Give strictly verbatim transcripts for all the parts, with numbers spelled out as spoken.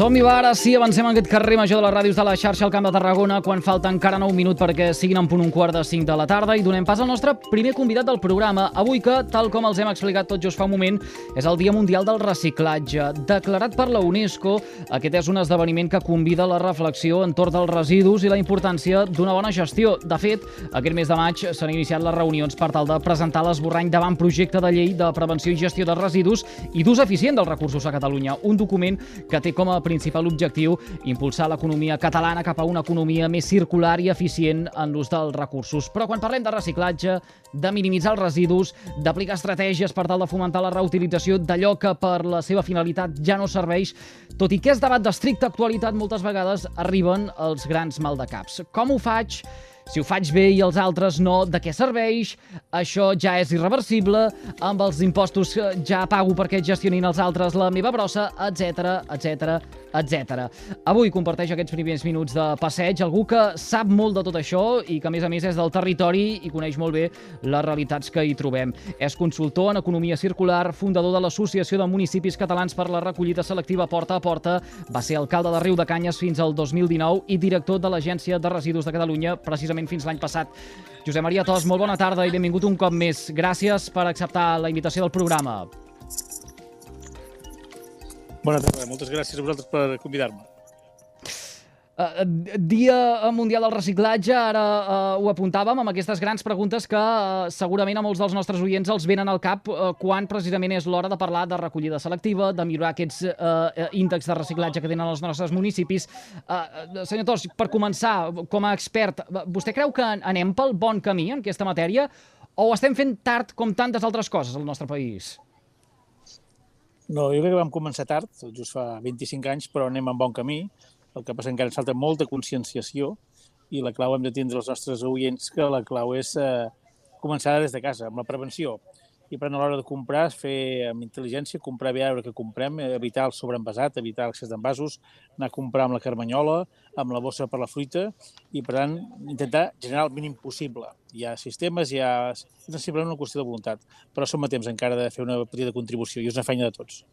Som-hi, va, ara sí, avancem en aquest carrer major de les ràdios de la xarxa al Camp de Tarragona quan falta encara nou minuts perquè siguin en punt un quart de cinc de la tarda i donem pas al nostre primer convidat del programa. Avui que, tal com els hem explicat tot just fa un moment, és el Dia Mundial del Reciclatge. Declarat per la UNESCO, aquest és un esdeveniment que convida a la reflexió entorn dels residus i la importància d'una bona gestió. De fet, aquest mes de maig s'han iniciat les reunions per tal de presentar l'esborrany davant projecte de llei de prevenció i gestió de residus i d'ús eficient dels recursos a Catalunya. Un document que té com a principal objectiu impulsar l'economia catalana cap a una economia més circular i eficient en l'ús dels recursos. Però quan parlem de reciclatge, de minimitzar els residus, d'aplicar estratègies per tal de fomentar la reutilització d'allò que per la seva finalitat ja no serveix, tot i que és debat d'estricta actualitat, moltes vegades arriben els grans maldecaps. Com ho faig? Si ho faig bé i els altres no, de què serveix? Això ja és irreversible, amb els impostos ja pago perquè gestionin els altres la meva brossa, etcètera, etcètera, etcètera. Avui comparteix aquests primers minuts de passeig algú que sap molt de tot això i que, a més a més, és del territori i coneix molt bé les realitats que hi trobem. És consultor en economia circular, fundador de l'Associació de Municipis Catalans per la Recollida Selectiva Porta a Porta, va ser alcalde de Riudecanyes fins al dos mil dinou i director de l'Agència de Residus de Catalunya, precisament fins l'any passat. Josep Maria Tos, molt bona tarda i benvingut un cop més. Gràcies per acceptar la invitació del programa. Bona tarda, moltes gràcies a vosaltres per convidar-me. Uh, Dia Mundial del Reciclatge, ara uh, ho apuntàvem amb aquestes grans preguntes que uh, segurament a molts dels nostres oients els venen al cap uh, quan precisament és l'hora de parlar de recollida selectiva, de millorar aquests uh, índexs de reciclatge que tenen els nostres municipis. Uh, senyor Tos, per començar, com a expert, vostè creu que anem pel bon camí en aquesta matèria o ho estem fent tard com tantes altres coses al nostre país? No, jo crec que vam començar tard, just fa vint-i-cinc anys, però anem en bon camí. El que passa és que encara ens falta molta conscienciació i la clau hem de tindre els nostres oients que la clau és eh, començar des de casa, amb la prevenció. I per a l'hora de comprar, fer amb intel·ligència, comprar bé a veure què comprem, evitar el sobreenvasat, evitar l'excés d'envasos, anar a comprar amb la carmanyola, amb la bossa per la fruita i, per tant, intentar generar el mínim possible. Hi ha sistemes, hi ha... és simplement una qüestió de voluntat, però som a temps encara de fer una petita contribució i és una feina de tots.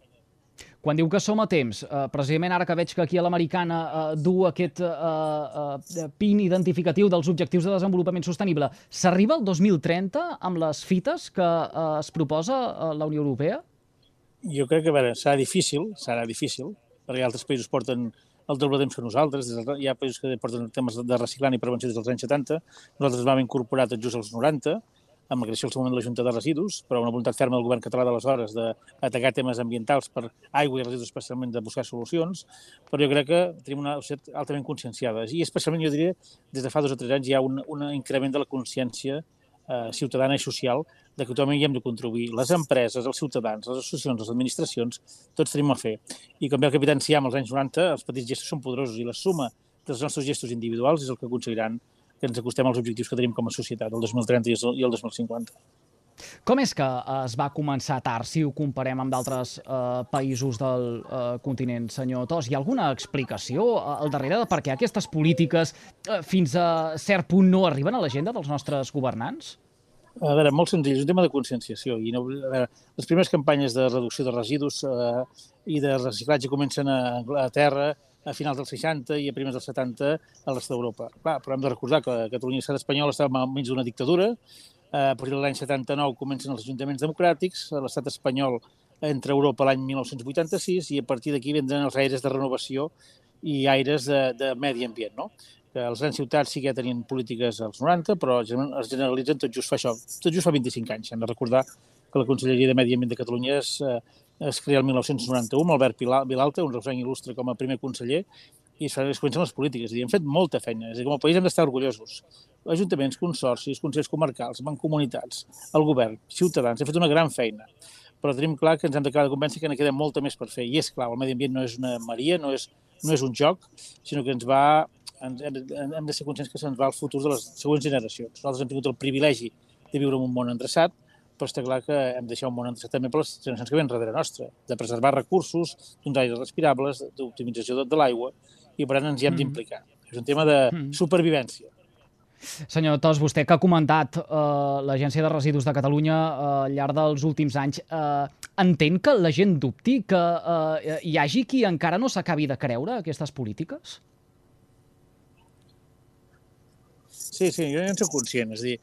Quan diu que som a temps, eh, precisament ara que veig que aquí a l'Americana eh, du aquest eh, eh, pin identificatiu dels Objectius de Desenvolupament Sostenible, s'arriba al dos mil trenta amb les fites que eh, es proposa a la Unió Europea? Jo crec que, a veure, serà difícil, serà difícil, perquè altres països porten el doble temps que nosaltres, hi ha països que porten temes de reciclant i prevenció des dels anys setanta, nosaltres vam incorporar tot just als noranta, amb la creació al seu moment de la Junta de Residus, però una voluntat ferma del govern català d'aleshores d'atacar temes ambientals per aigua i residus, especialment de buscar solucions, però jo crec que tenim una societat altament conscienciada. I especialment, jo diria, des de fa dos o tres anys hi ha un, un increment de la consciència eh, ciutadana i social de que tothom hi hem de contribuir. Les empreses, els ciutadans, les associacions, les administracions, tots tenim a fer. I com bé el capità Enciam als anys noranta, els petits gestos són poderosos i la suma dels nostres gestos individuals és el que aconseguiran que ens acostem als objectius que tenim com a societat, el dos mil trenta i el dos mil cinquanta. Com és que es va començar tard, si ho comparem amb d'altres eh, països del eh, continent, senyor Tos? Hi ha alguna explicació al darrere de per què aquestes polítiques eh, fins a cert punt no arriben a l'agenda dels nostres governants? A veure, molt senzill, és un tema de conscienciació. I no, a veure, les primeres campanyes de reducció de residus eh, i de reciclatge comencen a Anglaterra, a finals dels seixanta i a primers dels setanta a l'est d'Europa. Clar, però hem de recordar que Catalunya i l'estat espanyol estaven enmig d'una dictadura. A partir de l'any setanta-nou comencen els ajuntaments democràtics, a l'estat espanyol entra a Europa l'any mil nou-cents vuitanta-sis i a partir d'aquí vindran els aires de renovació i aires de, de medi ambient, no? Que les grans ciutats sí que ja tenien polítiques als noranta, però es generalitzen tot just fa això, tot just fa vint-i-cinc anys. Hem de recordar que la Conselleria de Medi Ambient de Catalunya és es crea el mil nou-cents noranta-u amb Albert Vilalta, un reusenc il·lustre com a primer conseller, i es comencen les polítiques. I hem fet molta feina. És a dir, com a país hem d'estar orgullosos. Ajuntaments, consorcis, consells comarcals, mancomunitats, el govern, ciutadans, hem fet una gran feina. Però tenim clar que ens hem d'acabar de convèncer que en queda molta més per fer. I és clar, el medi ambient no és una maria, no és, no és un joc, sinó que ens va, ens, hem de ser conscients que se'ns va el futur de les següents generacions. Nosaltres hem tingut el privilegi de viure en un món endreçat, però està clar que hem de deixar un món endreçat també per les generacions que venen darrere nostra, de preservar recursos, d'uns aires respirables, d'optimització de, de l'aigua, i per tant ens hi hem d'implicar. És un tema de supervivència. Senyor Tos, vostè que ha comentat eh, l'Agència de Residus de Catalunya eh, al llarg dels últims anys, eh, entén que la gent dubti, que eh, hi hagi qui encara no s'acabi de creure aquestes polítiques? Sí, sí, jo ja en soc conscient. És a dir,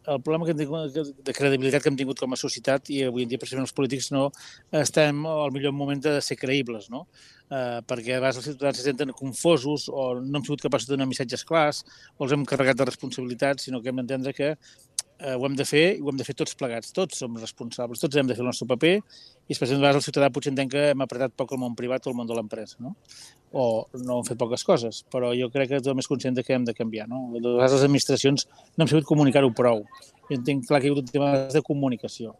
el problema que hem tingut, de credibilitat que hem tingut com a societat, i avui en dia precisament els polítics no estem al millor moment de ser creïbles, no? Eh, perquè a vegades els ciutadans se senten confosos o no hem sigut capaços de donar missatges clars o els hem carregat de responsabilitats, sinó que hem d'entendre que eh, ho hem de fer i ho hem de fer tots plegats. Tots som responsables, tots hem de fer el nostre paper i especialment a vegades el ciutadà potser entén que hem apretat poc el món privat o el món de l'empresa, no? O no hem fet poques coses, però jo crec que tothom és conscient que hem de canviar, no? A vegades les administracions no hem sabut comunicar-ho prou. Jo entenc clar que hi ha hagut un tema de comunicació.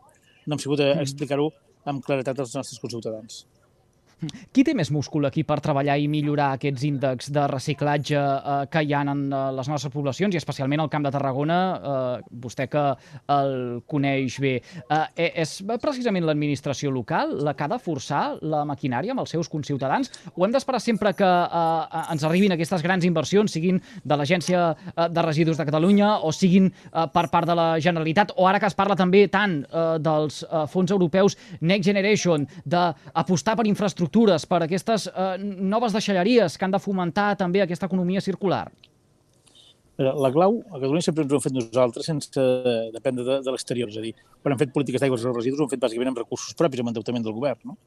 No hem sabut explicar-ho amb claretat als nostres conciutadans. Qui té més múscul aquí per treballar i millorar aquests índexs de reciclatge eh, que hi ha en eh, les nostres poblacions, i especialment al Camp de Tarragona, eh, vostè que el coneix bé? Eh, és precisament l'administració local la que ha de forçar la maquinària amb els seus conciutadans? O hem d'esperar sempre que eh, ens arribin aquestes grans inversions, siguin de l'Agència de Residus de Catalunya o siguin eh, per part de la Generalitat, o ara que es parla també tant eh, dels eh, fons europeus Next Generation, d'apostar per infraestructures, per aquestes eh, noves deixalleries que han de fomentar també aquesta economia circular? La clau, a Catalunya sempre ens ho hem fet nosaltres sense dependre de, de l'exterior. És a dir, quan hem fet polítiques d'aigües i residus ho hem fet bàsicament amb recursos propis, amb endeutament del govern, no?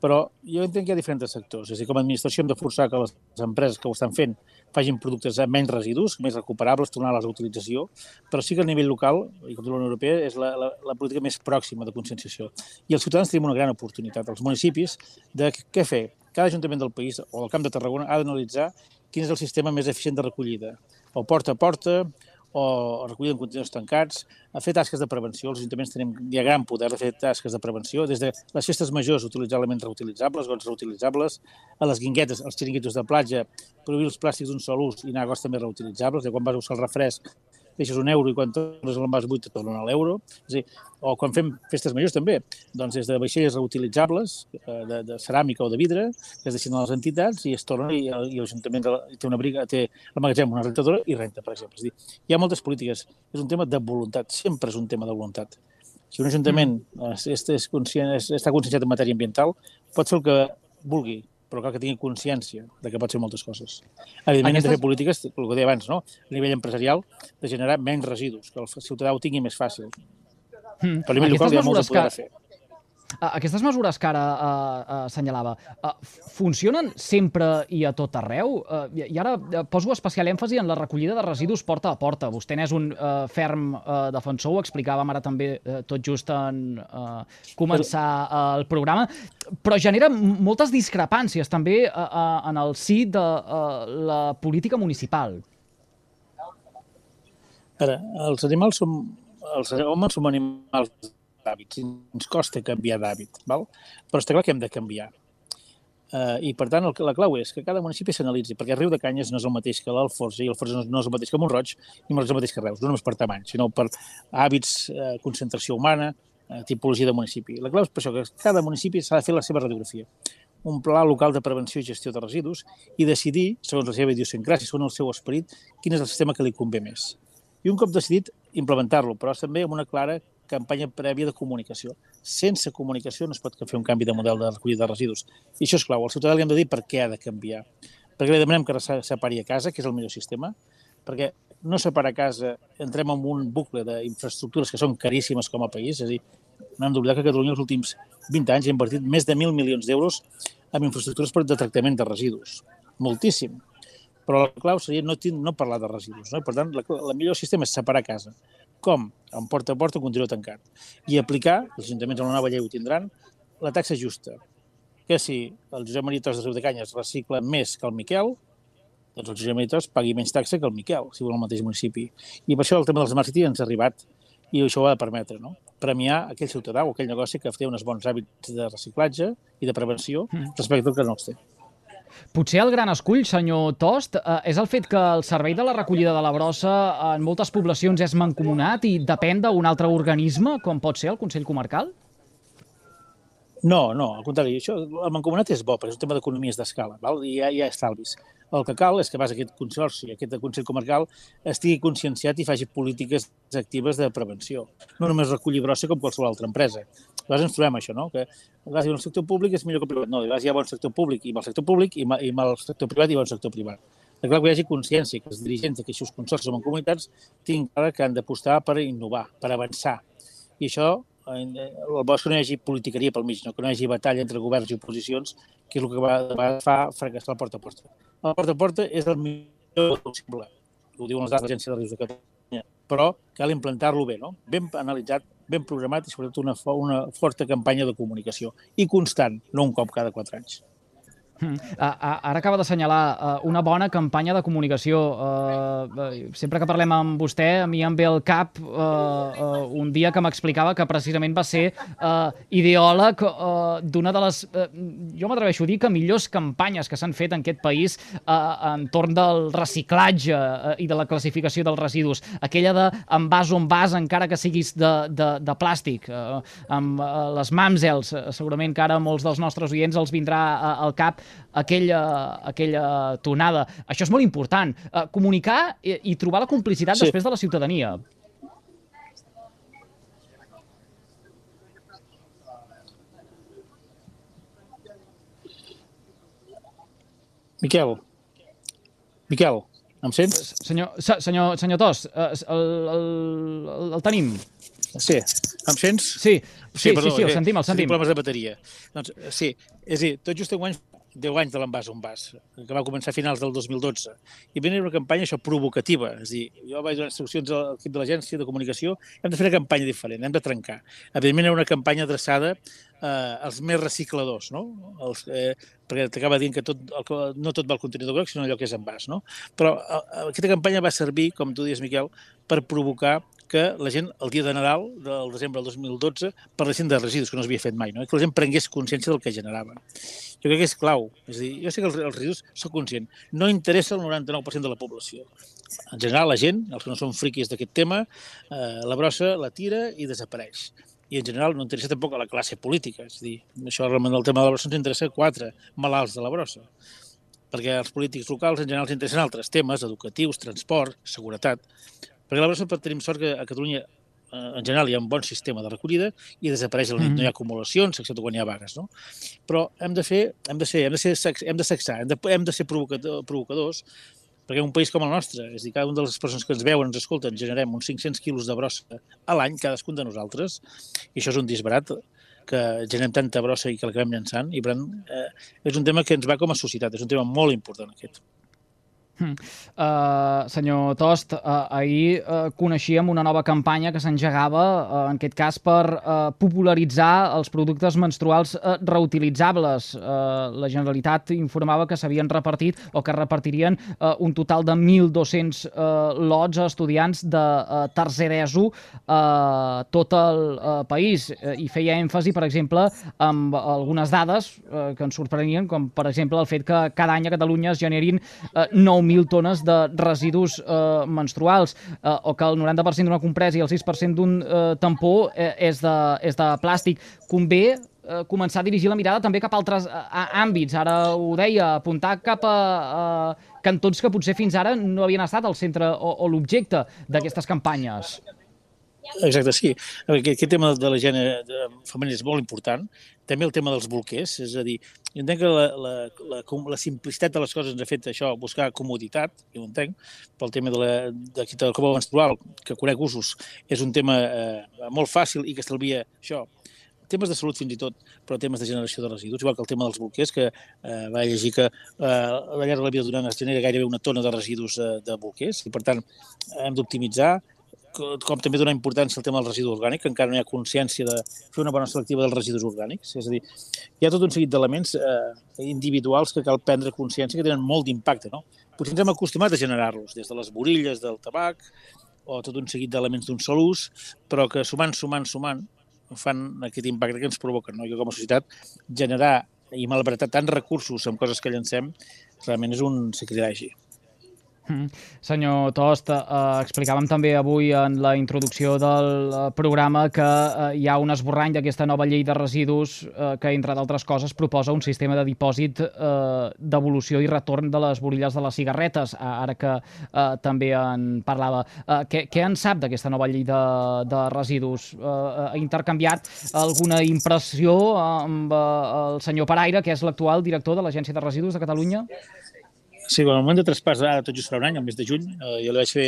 Però jo entenc que hi ha diferents sectors. És a dir, com a administració hem de forçar que les empreses que ho estan fent facin productes amb menys residus, més recuperables, tornar-les a utilització, però sí que a nivell local, i com la Unió Europea, és la, la, la política més pròxima de conscienciació. I els ciutadans tenim una gran oportunitat, els municipis, de què fer. Cada ajuntament del país, o del Camp de Tarragona, ha d'analitzar quin és el sistema més eficient de recollida, o porta a porta, o recollida en contenidors tancats, a fer tasques de prevenció. Els ajuntaments tenim ja gran poder de fer tasques de prevenció, des de les festes majors utilitzar elements reutilitzables, gots reutilitzables, a les guinguetes, els xiringuitos de platja, prohibir els plàstics d'un sol ús i anar a gots també reutilitzables, de quan vas a usar el refresc deixes un euro i quan tornes a l'envàs buit et tornen l'euro. És a dir, o quan fem festes majors també, doncs des de vaixelles reutilitzables, de, de ceràmica o de vidre, que es deixen a les entitats i es tornen i, i l'Ajuntament té una briga, té el magatzem, una rentadora i renta, per exemple. És a dir, hi ha moltes polítiques. És un tema de voluntat, sempre és un tema de voluntat. Si un ajuntament mm. és, és conscient, és, està conscienciat en matèria ambiental, pot fer el que vulgui, però cal que tingui consciència de que pot ser moltes coses. Evidentment, Aquestes... hem de fer polítiques, el que deia abans, no? A nivell empresarial, de generar menys residus, que el ciutadà ho tingui més fàcil. Mm. Però a nivell local hi ha molt de poder a fer. Aquestes mesures que ara uh, assenyalava, uh, funcionen sempre i a tot arreu? Uh, I ara poso especial èmfasi en la recollida de residus porta a porta. Vostè n'és un uh, ferm uh, defensor, ho explicàvem ara també uh, tot just en uh, començar uh, el programa, però genera moltes discrepàncies també uh, uh, en el si de uh, la política municipal. Ara, els animals som... Els homes som animals d'hàbits, ens costa canviar d'hàbit, val? Però està clar que hem de canviar. Uh, I, per tant, el, la clau és que cada municipi s'analitzi, perquè Riu de Canyes no és el mateix que l'Alforja i l'Alforja no, no és el mateix que Mont-roig i no és el mateix que Reus, no només per tamany, sinó per hàbits, uh, concentració humana, uh, tipologia de municipi. La clau és per això que cada municipi s'ha de fer la seva radiografia, un pla local de prevenció i gestió de residus i decidir, segons la seva idiosincràsia, segons el seu esperit, quin és el sistema que li convé més. I un cop decidit, implementar-lo, però també amb una clara campanya prèvia de comunicació. Sense comunicació no es pot fer un canvi de model de recollida de residus. I això és clau. Al ciutadà li hem de dir per què ha de canviar. Perquè li demanem que separi a casa, que és el millor sistema, perquè no separar a casa, entrem en un bucle d'infraestructures que són caríssimes com a país, és a dir, no hem d'oblidar que Catalunya els últims vint anys ha invertit més de mil milions d'euros en infraestructures per de tractament de residus. Moltíssim. Però la clau seria no, no parlar de residus, no? I, per tant, la, la millor sistema és separar a casa. Com? En porta a porta, un contenidor tancat. I aplicar, els ajuntaments amb la nova llei ho tindran, la taxa justa. Que si el Josep Maria Tos de Riu de Canyes recicla més que el Miquel, doncs el Josep Maria Tos pagui menys taxa que el Miquel, si vol al mateix municipi. I per això el tema dels Smart City ens ha arribat i això ho ha de permetre, no? Premiar aquell ciutadà o aquell negoci que té uns bons hàbits de reciclatge i de prevenció respecte al que no els té. Potser el gran escull, senyor Tost, eh, és el fet que el servei de la recollida de la brossa en moltes poblacions és mancomunat i depèn d'un altre organisme, com pot ser el Consell Comarcal? No, no, al contrari. Això, el mancomunat és bo, perquè és un tema d'economies d'escala, val? I hi ha, hi ha estalvis. El que cal és que pas aquest consorci, aquest Consell Comarcal, estigui conscienciat i faci polítiques actives de prevenció. No només reculli brossa com qualsevol altra empresa. A vegades ens trobem això, no? Que a vegades el sector públic és millor que el privat. No, a vegades hi ha bon sector públic i mal sector públic i mal, i mal sector privat i bon sector privat. És clar que hi hagi consciència, que els dirigents d'aquests consorcis o comunitats tinguin clar que han d'apostar per innovar, per avançar. I això, el bo és que no hi hagi politiqueria pel mig, no? Que no hi hagi batalla entre governs i oposicions, que és el que va, va fa fracassar el porta a porta. El porta a porta és el millor possible, ho diuen les dades de l'Agència de Rius de Catalunya, però cal implantar-lo bé, no? Ben analitzat, ben programat i sobretot una, una forta campanya de comunicació i constant, no un cop cada quatre anys. Mm. Ara acaba d'assenyalar una bona campanya de comunicació. Sempre que parlem amb vostè, a mi em ve al cap un dia que m'explicava que precisament va ser ideòleg d'una de les, jo m'atreveixo a dir, que millors campanyes que s'han fet en aquest país entorn del reciclatge i de la classificació dels residus. Aquella de en vas on vas, encara que siguis de, de, de plàstic. Amb les Mamsels, segurament que ara molts dels nostres oients els vindrà al cap aquella, aquella tonada. Això és molt important. Uh, comunicar i, i trobar la complicitat sí. després de la ciutadania. Miquel. Miquel, em sents? Senyor, senyor, senyor Tos, el, el, el tenim. Sí, em sents? Sí, sí, sí, perdó, sí, sí, el sentim, el sentim. Problemes de bateria. Doncs, sí, és a dir, tot just enguany deu anys de l'envàs on vas, que va començar a finals del dos mil dotze. I venia una campanya això provocativa, és a dir, jo vaig donar instruccions a l'equip de l'agència de comunicació, hem de fer una campanya diferent, hem de trencar. Evidentment era una campanya adreçada eh, als més recicladors, no? Els, eh, perquè t'acaba dient que tot, el, no tot va al contenidor groc, sinó allò que és envàs, no? Però eh, aquesta campanya va servir, com tu dius, Miquel, per provocar que la gent, el dia de Nadal, del desembre del dos mil dotze, parlessin de residus, que no s'havia fet mai, no? Que la gent prengués consciència del que generaven. Jo crec que és clau. És a dir, jo sé que els, els residus, soc conscient, no interessa el noranta-nou per cent de la població. En general, la gent, els que no són friquis d'aquest tema, eh, la brossa la tira i desapareix. I en general no interessa tampoc a la classe política. És a dir, això realment del tema de la brossa ens interessa quatre malalts de la brossa. Perquè els polítics locals en general ens interessen altres temes, educatius, transport, seguretat. Perquè la brossa tenim sort que a Catalunya en general hi ha un bon sistema de recollida i desapareix a la nit, mm. no hi ha acumulacions, excepte quan hi ha vagues, no? Però hem de fer, hem de ser, hem de ser, hem de sexar, hem de, hem de ser provocadors, perquè un país com el nostre, és a dir, cada una de les persones que ens veuen, ens escolten, generem uns cinc-cents quilos de brossa a l'any, cadascun de nosaltres, i això és un disbarat que generem tanta brossa i que l'acabem llançant, i per tant, eh, és un tema que ens va com a societat, és un tema molt important aquest. Hmm. Uh, senyor Tost, uh, ahir uh, coneixíem una nova campanya que s'engegava, uh, en aquest cas per uh, popularitzar els productes menstruals uh, reutilitzables. Uh, la Generalitat informava que s'havien repartit o que repartirien uh, un total de mil dos-cents uh, lots a estudiants de uh, tercer ESO a uh, tot el uh, país, uh, i feia èmfasi, per exemple, amb algunes dades uh, que ens sorprenien, com per exemple el fet que cada any a Catalunya es generin uh, nou mil tones de residus eh, menstruals, eh, o que el noranta per cent d'una compresa i el sis per cent d'un eh, tampó eh, és, de, és de plàstic. Convé eh, començar a dirigir la mirada també cap a altres eh, àmbits. Ara ho deia, apuntar cap a eh, cantons que potser fins ara no havien estat al centre o, o l'objecte d'aquestes campanyes. Exacte, sí. Aquest tema de la higiene femenina és molt important. També el tema dels bolquers, és a dir, jo entenc que la, la, la, la simplicitat de les coses ens ha fet això, buscar comoditat, jo ho entenc, pel tema de la, de, de la copa menstrual, que conec usos, és un tema eh, molt fàcil i que estalvia això, temes de salut fins i tot, però temes de generació de residus, igual que el tema dels bolquers, que eh, va llegir que eh, a la llarg de la vida d'un any es genera gairebé una tona de residus eh, de bolquers, i per tant hem d'optimitzar, com també donar importància al tema del residu orgànic, que encara no hi ha consciència de fer una bona selectiva dels residus orgànics. És a dir, hi ha tot un seguit d'elements eh, individuals que cal prendre consciència que tenen molt d'impacte, no? Potser ens hem acostumat a generar-los, des de les borilles del tabac o tot un seguit d'elements d'un sol ús, però que sumant, sumant, sumant, fan aquest impacte que ens provoquen, no? I que com a societat generar i malbaratar tants recursos amb coses que llancem realment és un sacrilegi. Mm. Senyor Tost, eh, explicàvem també avui en la introducció del programa que eh, hi ha un esborrany d'aquesta nova llei de residus eh, que, entre d'altres coses, proposa un sistema de dipòsit eh, devolució i retorn de les borilles de les cigarretes, ara que eh, també en parlava. Eh, què, què en sap d'aquesta nova llei de, de residus? Eh, ha intercanviat alguna impressió amb eh, el senyor Paraire, que és l'actual director de l'Agència de Residus de Catalunya? Sí, en el moment de traspàs, ara tot just farà un any, el mes de juny, eh, jo li vaig fer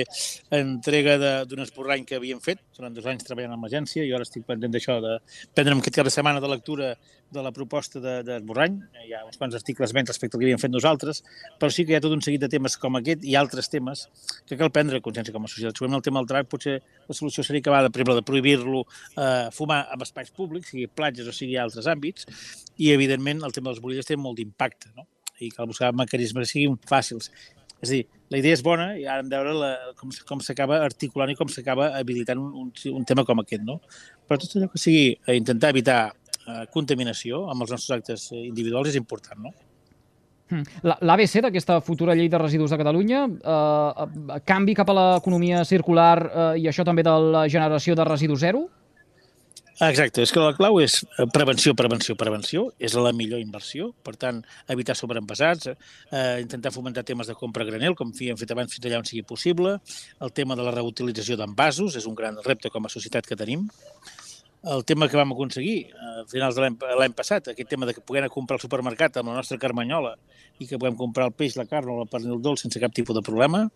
entrega d'un esborrany que havíem fet durant dos anys treballant amb l'agència i ara estic pendent d'això, de prendre'm aquest cap de setmana de lectura de la proposta d'esborrany. Hi ha uns quants articles menys respecte al que havíem fet nosaltres, però sí que hi ha tot un seguit de temes com aquest i altres temes que cal prendre consciència com a societat. Segurament el tema del tabac potser la solució seria acabar de, per exemple, de prohibir-lo eh, fumar en espais públics, sigui platges o sigui altres àmbits, i evidentment el tema de les borilles té molt d'impacte, no? I cal buscar mecanismes que siguin fàcils. És a dir, la idea és bona i ara hem de veure la, com, com s'acaba articulant i com s'acaba habilitant un, un, un tema com aquest, no? Però tot allò que sigui intentar evitar eh, contaminació amb els nostres actes individuals és important, no? L'A B C d'aquesta futura llei de residus de Catalunya, eh, canvi cap a l'economia circular eh, i això també de la generació de residus zero? Exacte, és que la clau és prevenció, prevenció, prevenció, és la millor inversió, per tant, evitar sobreenvasats, eh, intentar fomentar temes de compra a granel, com hem fet abans fins allà on sigui possible, el tema de la reutilització d'envasos, és un gran repte com a societat que tenim, el tema que vam aconseguir a finals de l'any passat, aquest tema de que puguem comprar al supermercat amb la nostra carmanyola i que puguem comprar el peix, la carn o el pernil dolç sense cap tipus de problema.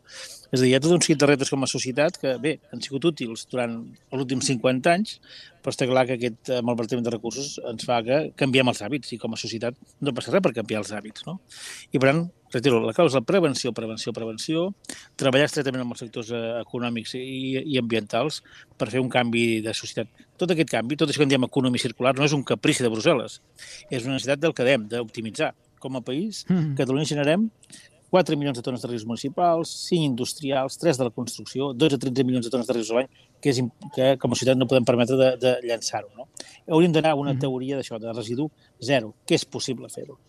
És a dir, hi ha tot un seguit de reptes com a societat que, bé, han sigut útils durant els últims cinquanta anys, però està clar que aquest malbaratament de recursos ens fa que canviem els hàbits i com a societat no passa res per canviar els hàbits, no? I per tant, retiro, la clau és la prevenció, prevenció, prevenció, treballar estretament amb els sectors econòmics i, i ambientals per fer un canvi de societat. Tot aquest canvi, tot això que en diem economia circular, no és un caprici de Brussel·les, és una necessitat del que dèiem, d'optimitzar. Com a país, mm. Catalunya generem quatre milions de tones de residus municipals, cinc industrials, tres de la construcció, dotze a tretze milions de tones de residus a l'any, que, és, que com a societat no podem permetre de, de llançar-ho. No? Hauríem d'anar a una mm. teoria d'això, de residu zero, que és possible fer-ho.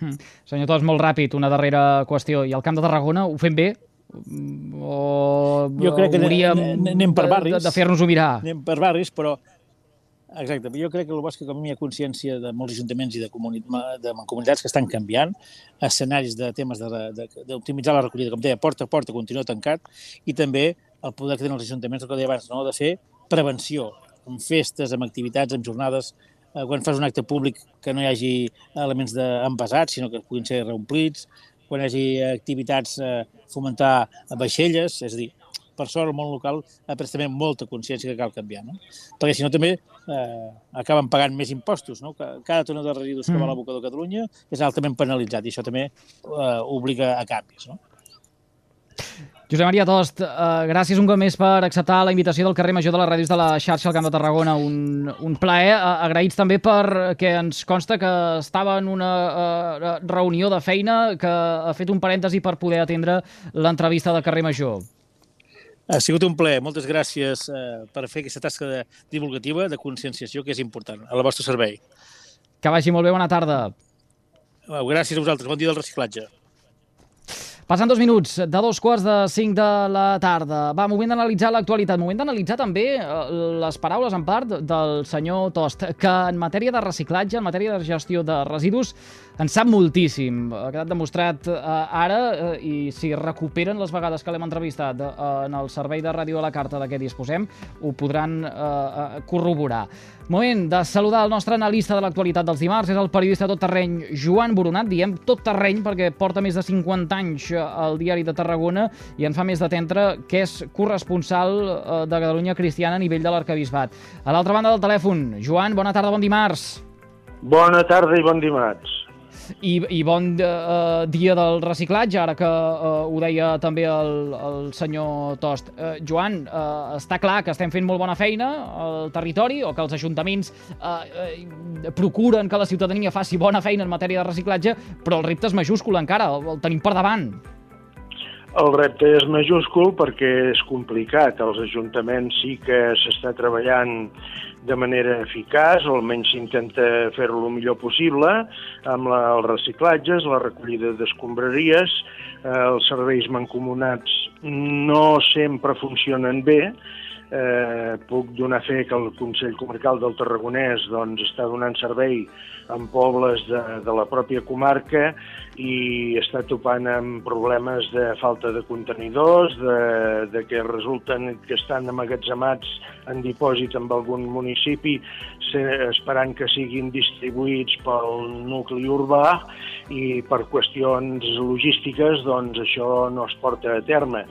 Mm. Senyor Tost, molt ràpid, una darrera qüestió. I al Camp de Tarragona ho fem bé? O jo crec que hauríem anem per barris, de, de fer-nos-ho mirar? Anem per barris, però exacte, jo crec que el bo és que com hi ha consciència de molts ajuntaments i de, comuni de comunitats que estan canviant, escenaris de temes d'optimitzar la recollida, com deia, porta a porta continua tancat, i també el poder que tenen els ajuntaments, el que deia abans, no? De fer prevenció, amb festes, amb activitats, amb jornades, eh, quan fas un acte públic que no hi hagi elements d'envasats, sinó que puguin ser reomplits, quan hi hagi activitats, eh, fomentar vaixelles, és a dir, per sort el món local ha pres també molta consciència que cal canviar, no? Perquè si no també eh, acaben pagant més impostos, no? Cada tona de residus que va a l'abocador de Catalunya és altament penalitzat i això també eh, obliga a canvis, no? Josep Maria Tost, eh, gràcies un cop més per acceptar la invitació del carrer Major de les Ràdios de la xarxa al Camp de Tarragona. Un, un plaer. Eh, agraïts també perquè ens consta que estava en una eh, reunió de feina que ha fet un parèntesi per poder atendre l'entrevista del carrer Major. Ha sigut un plaer. Moltes gràcies eh, per fer aquesta tasca de divulgativa, de conscienciació, que és important, al vostre servei. Que vagi molt bé, bona tarda. Gràcies a vosaltres, bon dia del reciclatge. Passen dos minuts de dos quarts de cinc de la tarda. Va, moment d'analitzar l'actualitat, moment d'analitzar també les paraules en part del senyor Tost, que en matèria de reciclatge, en matèria de gestió de residus, en sap moltíssim. Ha quedat demostrat eh, ara, eh, i si recuperen les vegades que l'hem entrevistat eh, en el servei de ràdio a la carta de què disposem, ho podran eh, corroborar. Moment de saludar el nostre analista de l'actualitat dels dimarts, és el periodista tot terreny Joan Boronat, diem tot terreny perquè porta més de cinquanta anys al diari de Tarragona i en fa més d'atendre que és corresponsal de Catalunya Cristiana a nivell de l'Arquebisbat. A l'altra banda del telèfon, Joan, bona tarda, bon dimarts. Bona tarda i bon dimarts. I, i bon uh, dia del reciclatge, ara que uh, ho deia també el, el senyor Tost. Uh, Joan, uh, està clar que estem fent molt bona feina al territori, o que els ajuntaments uh, uh, procuren que la ciutadania faci bona feina en matèria de reciclatge, però el repte és majúscul encara, el, el tenim per davant. El repte és majúscul perquè és complicat. Els ajuntaments sí que s'està treballant de manera eficaç, o almenys s'intenta fer-ho el millor possible, amb la, els reciclatges, la recollida d'escombraries. Eh, els serveis mancomunats no sempre funcionen bé. Eh, puc donar fe que el Consell Comarcal del Tarragonès doncs, està donant servei en pobles de, de la pròpia comarca i està topant amb problemes de falta de contenidors, de, de que resulten que estan amagatzemats en dipòsit en algun municipi esperant que siguin distribuïts pel nucli urbà i per qüestions logístiques doncs, això no es porta a terme.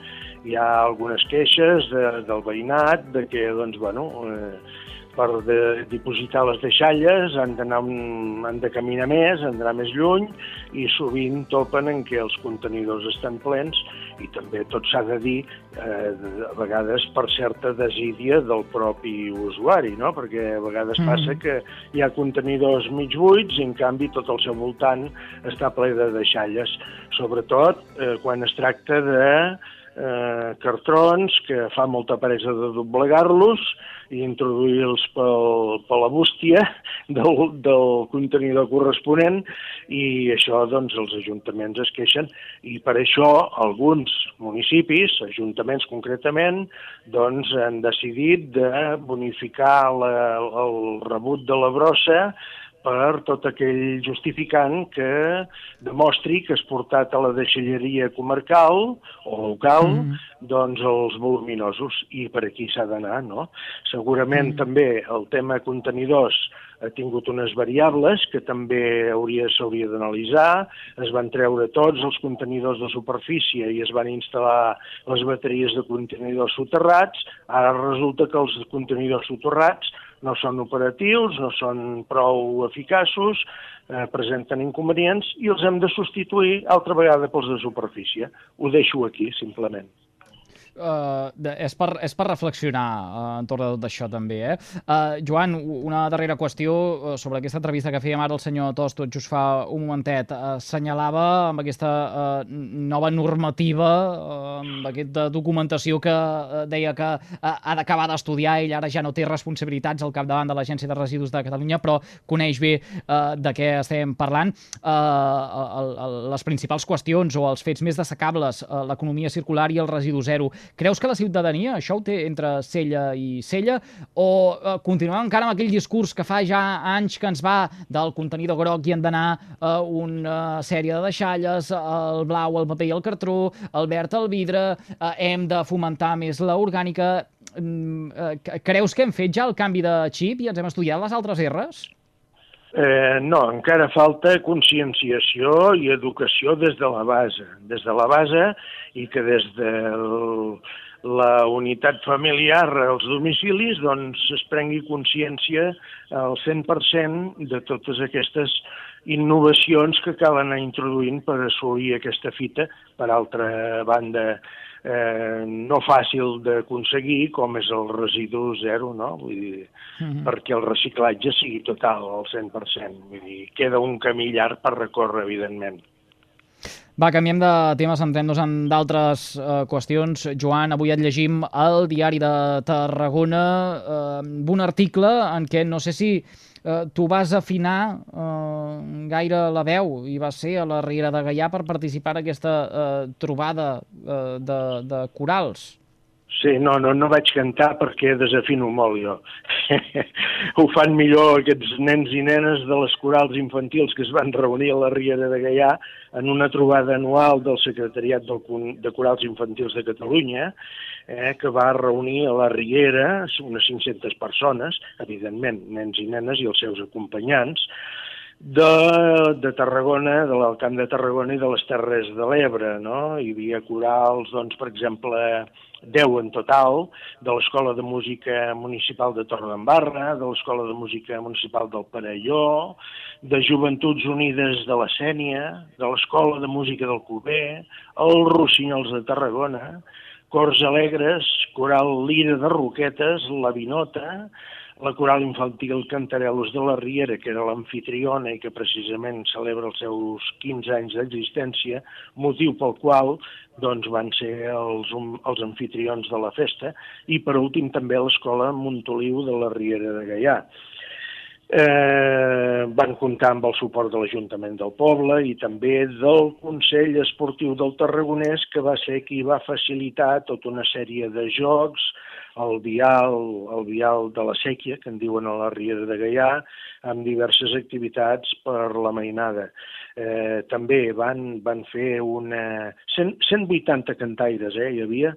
Hi ha algunes queixes de, del veïnat de que doncs, bueno, eh, per de, dipositar les deixalles han d'anar han de caminar més, han d'anar més lluny i sovint topen en què els contenidors estan plens i també tot s'ha de dir eh, a vegades per certa desídia del propi usuari, no? Perquè a vegades mm. passa que hi ha contenidors mig buits i en canvi tot al seu voltant està ple de deixalles, sobretot eh, quan es tracta de Eh, cartrons que fa molta peresa de doblegar-los i introduir-los pel, per la bústia del, del contenidor corresponent i això doncs els ajuntaments es queixen i per això alguns municipis, ajuntaments concretament, doncs han decidit de bonificar la, el rebut de la brossa per tot aquell justificant que demostri que has portat a la deixalleria comarcal o local mm. doncs els voluminosos i per aquí s'ha d'anar, no? Segurament mm. també el tema contenidors ha tingut unes variables que també hauria s'hauria d'analitzar. Es van treure tots els contenidors de superfície i es van instal·lar les bateries de contenidors soterrats. Ara resulta que els contenidors soterrats no són operatius, no són prou eficaços, eh, presenten inconvenients i els hem de substituir altra vegada pels de superfície. Ho deixo aquí, simplement. Uh, és, per, és per reflexionar uh, entorn de tot això també, eh? Uh, Joan, una darrera qüestió uh, sobre aquesta entrevista que fèiem ara el senyor Tos, tot just fa un momentet. Uh, assenyalava amb aquesta uh, nova normativa, uh, amb aquesta documentació que uh, deia que uh, ha d'acabar d'estudiar, ell ara ja no té responsabilitats al capdavant de l'Agència de Residus de Catalunya, però coneix bé uh, de què estem parlant. Uh, el, el, les principals qüestions o els fets més destacables, uh, l'economia circular i el residu zero. Creus que la ciutadania això ho té entre cella i cella o eh, continuem encara amb aquell discurs que fa ja anys que ens va del contenidor groc i han d'anar eh, una sèrie de deixalles, el blau, el paper i el cartró, el verd, el vidre, eh, hem de fomentar més l'orgànica. Eh, creus que hem fet ja el canvi de xip i ens hem estudiat les altres erres? Eh, no, encara falta conscienciació i educació des de la base, des de la base i que des de la unitat familiar als domicilis doncs es prengui consciència al cent per cent de totes aquestes innovacions que cal anar introduint per assolir aquesta fita, per altra banda eh, no fàcil d'aconseguir com és el residu zero, no? Vull dir, mm-hmm. perquè el reciclatge sigui total al cent per cent. Vull dir, queda un camí llarg per recórrer, evidentment. Va, canviem de tema, centrem-nos en d'altres eh, qüestions. Joan, avui et llegim al Diari de Tarragona eh, un article en què no sé si eh, tu vas afinar eh, gaire la veu i vas ser a la Riera de Gaià per participar en aquesta eh, trobada eh, de, de corals. Sí, no, no, no vaig cantar perquè desafino molt jo. Ho fan millor aquests nens i nenes de les corals infantils que es van reunir a la Riera de Gaià en una trobada anual del Secretariat del, de Corals Infantils de Catalunya, eh, que va reunir a la Riera unes cinc-centes persones, evidentment, nens i nenes i els seus acompanyants, de, de Tarragona, de l'Alcamp de Tarragona i de les Terres de l'Ebre, no? Hi havia corals, doncs, per exemple, deu en total, de l'Escola de Música Municipal de Torredembarra, de l'Escola de Música Municipal del Perelló, de Joventuts Unides de la Sénia, de l'Escola de Música del Cover, els Rossinyols de Tarragona, Cors Alegres, Coral Lira de Roquetes, la Vinota, la coral infantil Cantarelos de la Riera, que era l'amfitriona i que precisament celebra els seus quinze anys d'existència, motiu pel qual doncs, van ser els, els anfitrions de la festa, i per últim també l'escola Montoliu de la Riera de Gaià. Eh, van comptar amb el suport de l'Ajuntament del poble i també del Consell Esportiu del Tarragonès, que va ser qui va facilitar tota una sèrie de jocs, el vial, el vial de la Sèquia, que en diuen a la Riera de Gaià, amb diverses activitats per la mainada. Eh, també van, van fer una... cent, cent vuitanta cantaires, eh, hi havia,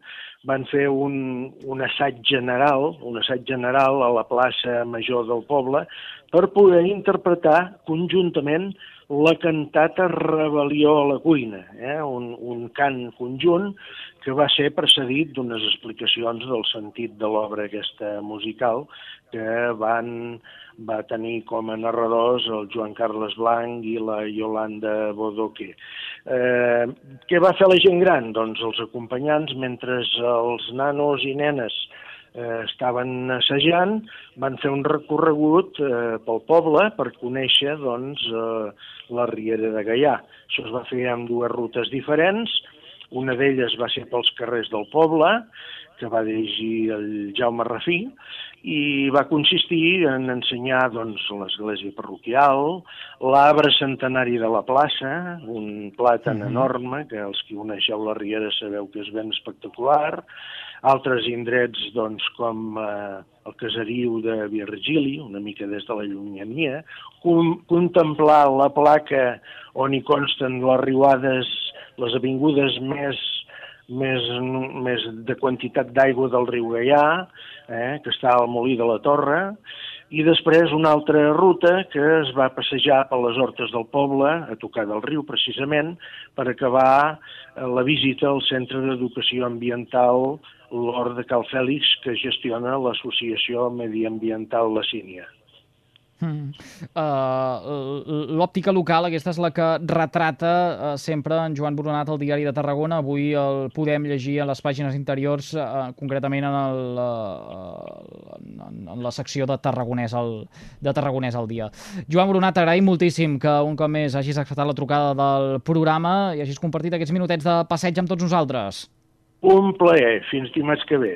van fer un, un assaig general, un assaig general a la plaça Major del poble per poder interpretar conjuntament la cantata Rebel·lió a la cuina, eh? un, un cant conjunt que va ser precedit d'unes explicacions del sentit de l'obra aquesta musical que van, va tenir com a narradors el Joan Carles Blanc i la Yolanda Bodoque. Eh, què va fer la gent gran? Doncs els acompanyants, mentre els nanos i nenes eh, estaven assajant, van fer un recorregut eh, pel poble per conèixer doncs, eh, la Riera de Gaià. Això es va fer amb dues rutes diferents. Una d'elles va ser pels carrers del poble, que va dirigir el Jaume Rafí, i va consistir en ensenyar doncs, l'església parroquial, l'arbre centenari de la plaça, un plàtan mm-hmm. enorme, que els que coneixeu la Riera sabeu que és ben espectacular, altres indrets doncs, com eh, el caseriu de Virgili, una mica des de la llunyania, com, contemplar la placa on hi consten les riuades, les avingudes més, més, més de quantitat d'aigua del riu Gaià, eh, que està al Molí de la Torre, i després una altra ruta que es va passejar per les hortes del poble, a tocar del riu precisament, per acabar la visita al Centre d'Educació Ambiental l'Hort de Cal Fèlix, que gestiona l'Associació Mediambiental La Sínia. Mm. Uh, L'òptica local, aquesta és la que retrata uh, sempre en Joan Boronat al Diari de Tarragona. Avui el podem llegir a les pàgines interiors, uh, concretament en, el, uh, en, en la secció de Tarragonès, al, de Tarragonès al dia. Joan Boronat, t'agraïm moltíssim que un cop més hagis acceptat la trucada del programa i hagis compartit aquests minutets de passeig amb tots nosaltres. Un plaer. Fins dimarts que ve.